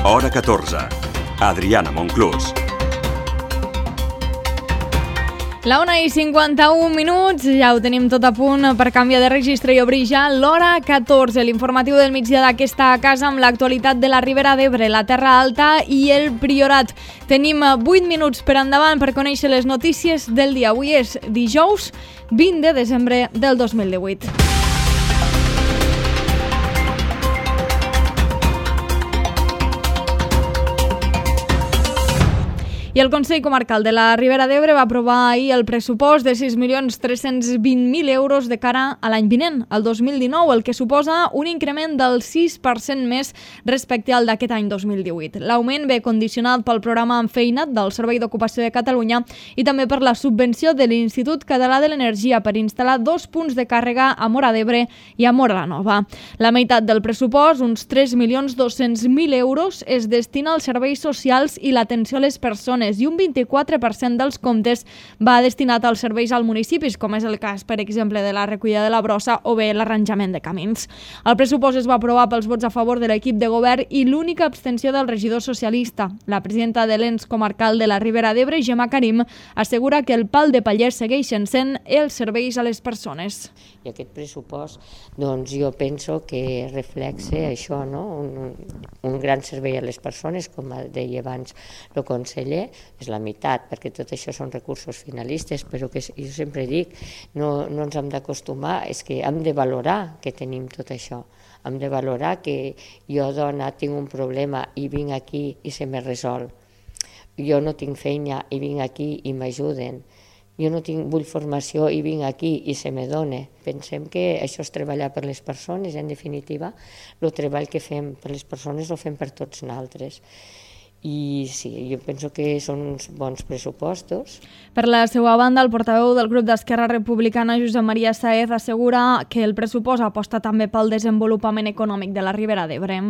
Hora 14. Adriana Monclús. La 1:51, ja ho tenim tot a punt per canviar de registre i obrir ja l'Hora 14, l'informatiu del migdia d'aquesta casa amb l'actualitat de la Ribera d'Ebre, la Terra Alta i el Priorat. Tenim 8 minuts per endavant per conèixer les notícies del dia. Avui és dijous 20 de desembre del 2018. I el Consell Comarcal de la Ribera d'Ebre va aprovar ahir el pressupost de 6.320.000 euros de cara a l'any vinent, el 2019, el que suposa un increment del 6% més respecte al d'aquest any 2018. L'augment ve condicionat pel programa Enfeina't del Servei d'Ocupació de Catalunya i també per la subvenció de l'Institut Català de l'Energia per instal·lar 2 punts de càrrega a Móra d'Ebre i a Móra la Nova. La meitat del pressupost, uns 3.200.000 euros, es destina als serveis socials i l'atenció a les persones i un 24% dels comptes va destinat als serveis als municipis, com és el cas, per exemple, de la recollida de la brossa o bé l'arranjament de camins. El pressupost es va aprovar pels vots a favor de l'equip de govern i l'única abstenció del regidor socialista. La presidenta de l'ens comarcal de la Ribera d'Ebre, Gemma Karim, assegura que el pal de paller segueixen sent els serveis a les persones. I aquest pressupost, doncs jo penso que reflexa això, no? Un gran servei a les persones, com deia abans el conseller, és la meitat, perquè tot això són recursos finalistes, però que jo sempre dic, no ens hem d'acostumar, és que hem de valorar que tenim tot això, hem de valorar que jo, dona, tinc un problema i vinc aquí i se me resol, jo no tinc feina i vinc aquí i m'ajuden, jo no vull formació i vinc aquí i se me dona. Pensem que això és treballar per les persones, en definitiva, el treball que fem per les persones el fem per tots nosaltres. I sí, jo penso que són uns bons pressupostos. Per la seva banda, el portaveu del grup d'Esquerra Republicana, Josep Maria Saez, assegura que el pressupost aposta també pel desenvolupament econòmic de la Ribera d'Ebre.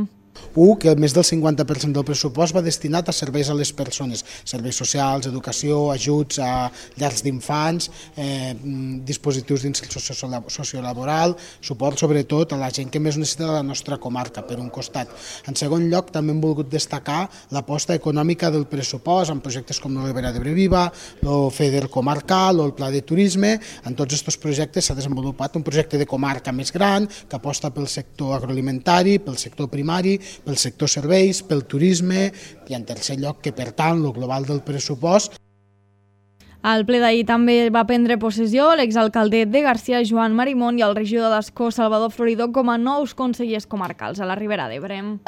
Que més del 50% del pressupost va destinat a serveis a les persones, serveis socials, educació, ajuts a llars d'infants, dispositius d'inserció sociolaboral, suport sobretot a la gent que més necessita de la nostra comarca, per un costat. En segon lloc, també hem volgut destacar l'aposta econòmica del pressupost en projectes com la Ribera d'Ebre Viva, el FEDER comarcal o el Pla de Turisme. En tots aquests projectes s'ha desenvolupat un projecte de comarca més gran que aposta pel sector agroalimentari, pel sector primari, pel sector serveis, pel turisme i en tercer lloc que, per tant, el global del pressupost. Al ple d'ahir també va prendre possessió l'exalcalde de Garcia, Joan Marimón, i el regidor d'Ascó, Salvador Floridó, com a nous consellers comarcals a la Ribera d'Ebre.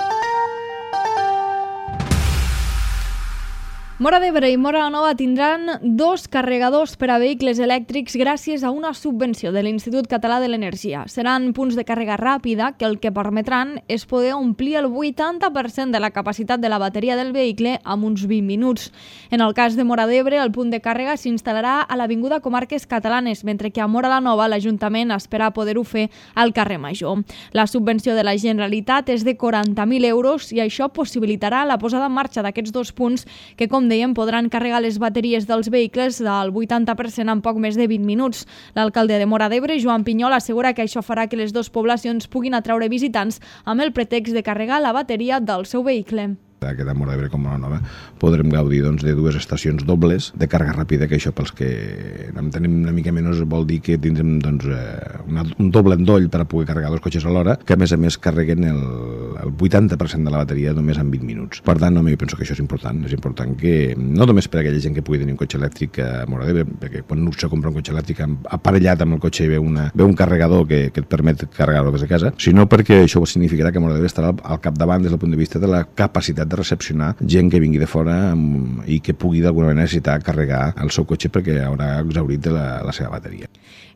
Móra d'Ebre i Móra la Nova tindran 2 carregadors per a vehicles elèctrics gràcies a una subvenció de l'Institut Català de l'Energia. Seran punts de càrrega ràpida que el que permetran és poder omplir el 80% de la capacitat de la bateria del vehicle en uns 20 minuts. En el cas de Móra d'Ebre, el punt de càrrega s'instal·larà a l'Avinguda Comarques Catalanes, mentre que a Móra la Nova l'Ajuntament espera poder-ho fer al carrer Major. La subvenció de la Generalitat és de 40.000 euros i això possibilitarà la posada en marxa d'aquests 2 punts que, com dèiem, podran carregar les bateries dels vehicles del 80% en poc més de 20 minuts. L'alcalde de Móra d'Ebre, Joan Pinyol, assegura que això farà que les 2 poblacions puguin atraure visitants amb el pretext de carregar la bateria del seu vehicle. Aquesta Móra d'Ebre com a Nova podrem gaudir de 2 estacions dobles de càrrega ràpida, que això pels que en tenim una mica menys vol dir que tindrem un doble endoll per a poder carregar 2 cotxes alhora, que a més carreguen el 80% de la bateria només en 20 minuts. Per tant, jo penso que això és important que no només per a aquella gent que pugui tenir un cotxe elèctric a Móra d'Ebre, perquè quan se compra un cotxe elèctric aparellat amb el cotxe i ve un carregador que et permet carregar-ho des de casa, sinó perquè això significarà que Móra d'Ebre estarà al capdavant des del punt de vista de la capacitat de recepcionar gent que vingui de fora i que pugui d'alguna manera necessitar carregar el seu cotxe perquè haurà exhaurit de la seva bateria.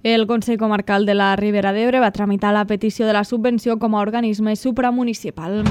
El Consell Comarcal de la Ribera d'Ebre va tramitar la petició de la subvenció com a organisme supramunicipal.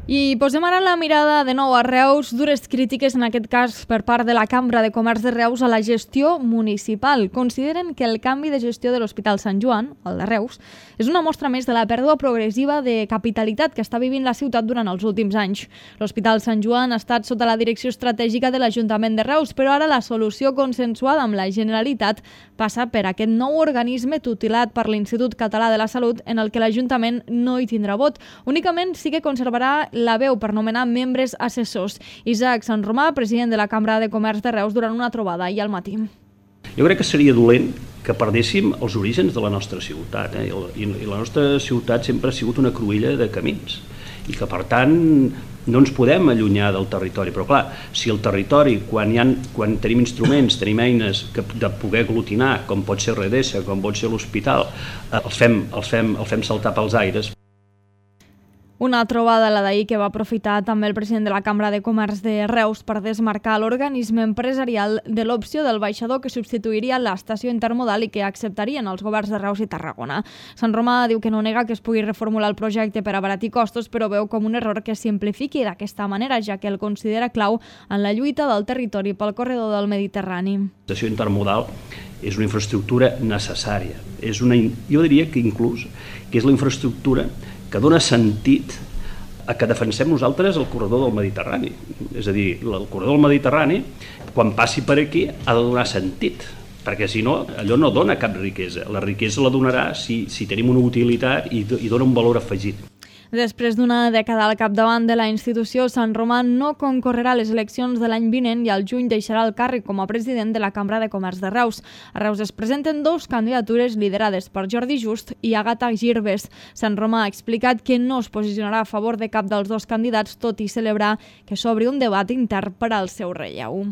I I posem ara la mirada de nou a Reus, dures crítiques en aquest cas per part de la Cambra de Comerç de Reus a la gestió municipal. Consideren que el canvi de gestió de l'Hospital Sant Joan, el de Reus, és una mostra més de la pèrdua progressiva de capitalitat que està vivint la ciutat durant els últims anys. L'Hospital Sant Joan ha estat sota la direcció estratègica de l'Ajuntament de Reus, però ara la solució consensuada amb la Generalitat passa per aquest nou organisme tutelat per l'Institut Català de la Salut en el que l'Ajuntament no hi tindrà vot. Únicament sí que conservarà la veu per nomenar membres assessors. Isaac Sant Romà, president de la Cambra de Comerç de Reus, durant una trobada ahir al matí. Jo crec que seria dolent que perdéssim els orígens de la nostra ciutat. I la nostra ciutat sempre ha sigut una cruïlla de camins. I que, per tant, no ens podem allunyar del territori. Però, clar, si el territori, quan tenim instruments, tenim eines de poder aglutinar, com pot ser Redesa, com pot ser l'hospital, els fem saltar pels aires. Una trobada, la d'ahir, que va aprofitar també el president de la Cambra de Comerç de Reus per desmarcar l'organisme empresarial de l'opció del baixador que substituiria l'estació intermodal i que acceptarien els governs de Reus i Tarragona. Sant Romà diu que no nega que es pugui reformular el projecte per abaratir costos, però veu com un error que es simplifiqui d'aquesta manera, ja que el considera clau en la lluita del territori pel corredor del Mediterrani. L'estació intermodal és una infraestructura necessària. Jo diria que inclús que és la infraestructura que dona sentit a que defensem nosaltres el corredor del Mediterrani. És a dir, el corredor del Mediterrani, quan passi per aquí, ha de donar sentit, perquè si no, allò no dona cap riquesa. La riquesa la donarà si tenim una utilitat i dona un valor afegit. Després d'una dècada al capdavant de la institució, Sant Romà no concorrerà a les eleccions de l'any vinent i al juny deixarà el càrrec com a president de la Cambra de Comerç de Reus. A Reus es presenten 2 candidatures liderades per Jordi Just i Àgata Girbes. Sant Romà ha explicat que no es posicionarà a favor de cap dels 2 candidats, tot i celebrar que s'obri un debat intern per al seu relleu.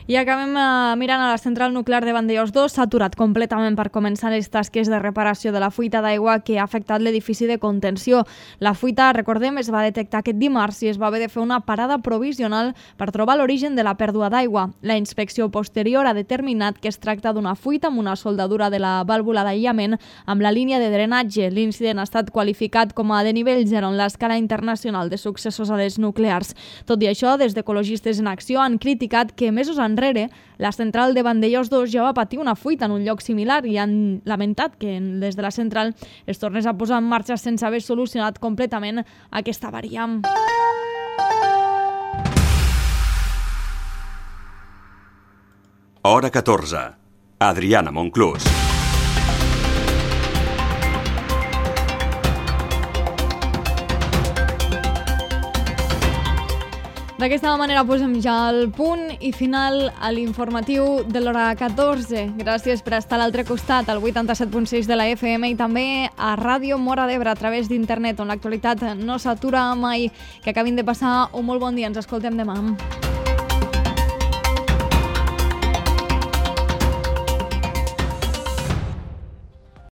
I acabem mirant a la central nuclear de Vandellòs 2. S'ha aturat completament per començar les tasques de reparació de la fuita d'aigua que ha afectat l'edifici de contenció. La fuita, recordem, es va detectar aquest dimarts i es va haver de fer una parada provisional per trobar l'origen de la pèrdua d'aigua. La inspecció posterior ha determinat que es tracta d'una fuita amb una soldadura de la vàlvula d'aïllament amb la línia de drenatge. L'incident ha estat qualificat com a de nivell 0 en l'escala internacional de successos a les nuclears. Tot i això, des d'Ecologistes en Acció han criticat que mesos enrere la central de Vandellòs 2 ja va patir una fuita en un lloc similar i han lamentat que des de la central es tornés a posar en marxa sense haver solucionat completament aquesta avaria. Hora 14. Adriana Monclús. D'aquesta manera posem ja el punt i final a l'informatiu de l'hora 14. Gràcies per estar a l'altre costat, al 87.6 de la FM i també a Ràdio Móra d'Ebre a través d'internet, on l'actualitat no s'atura mai. Que acabin de passar un molt bon dia. Ens escoltem demà.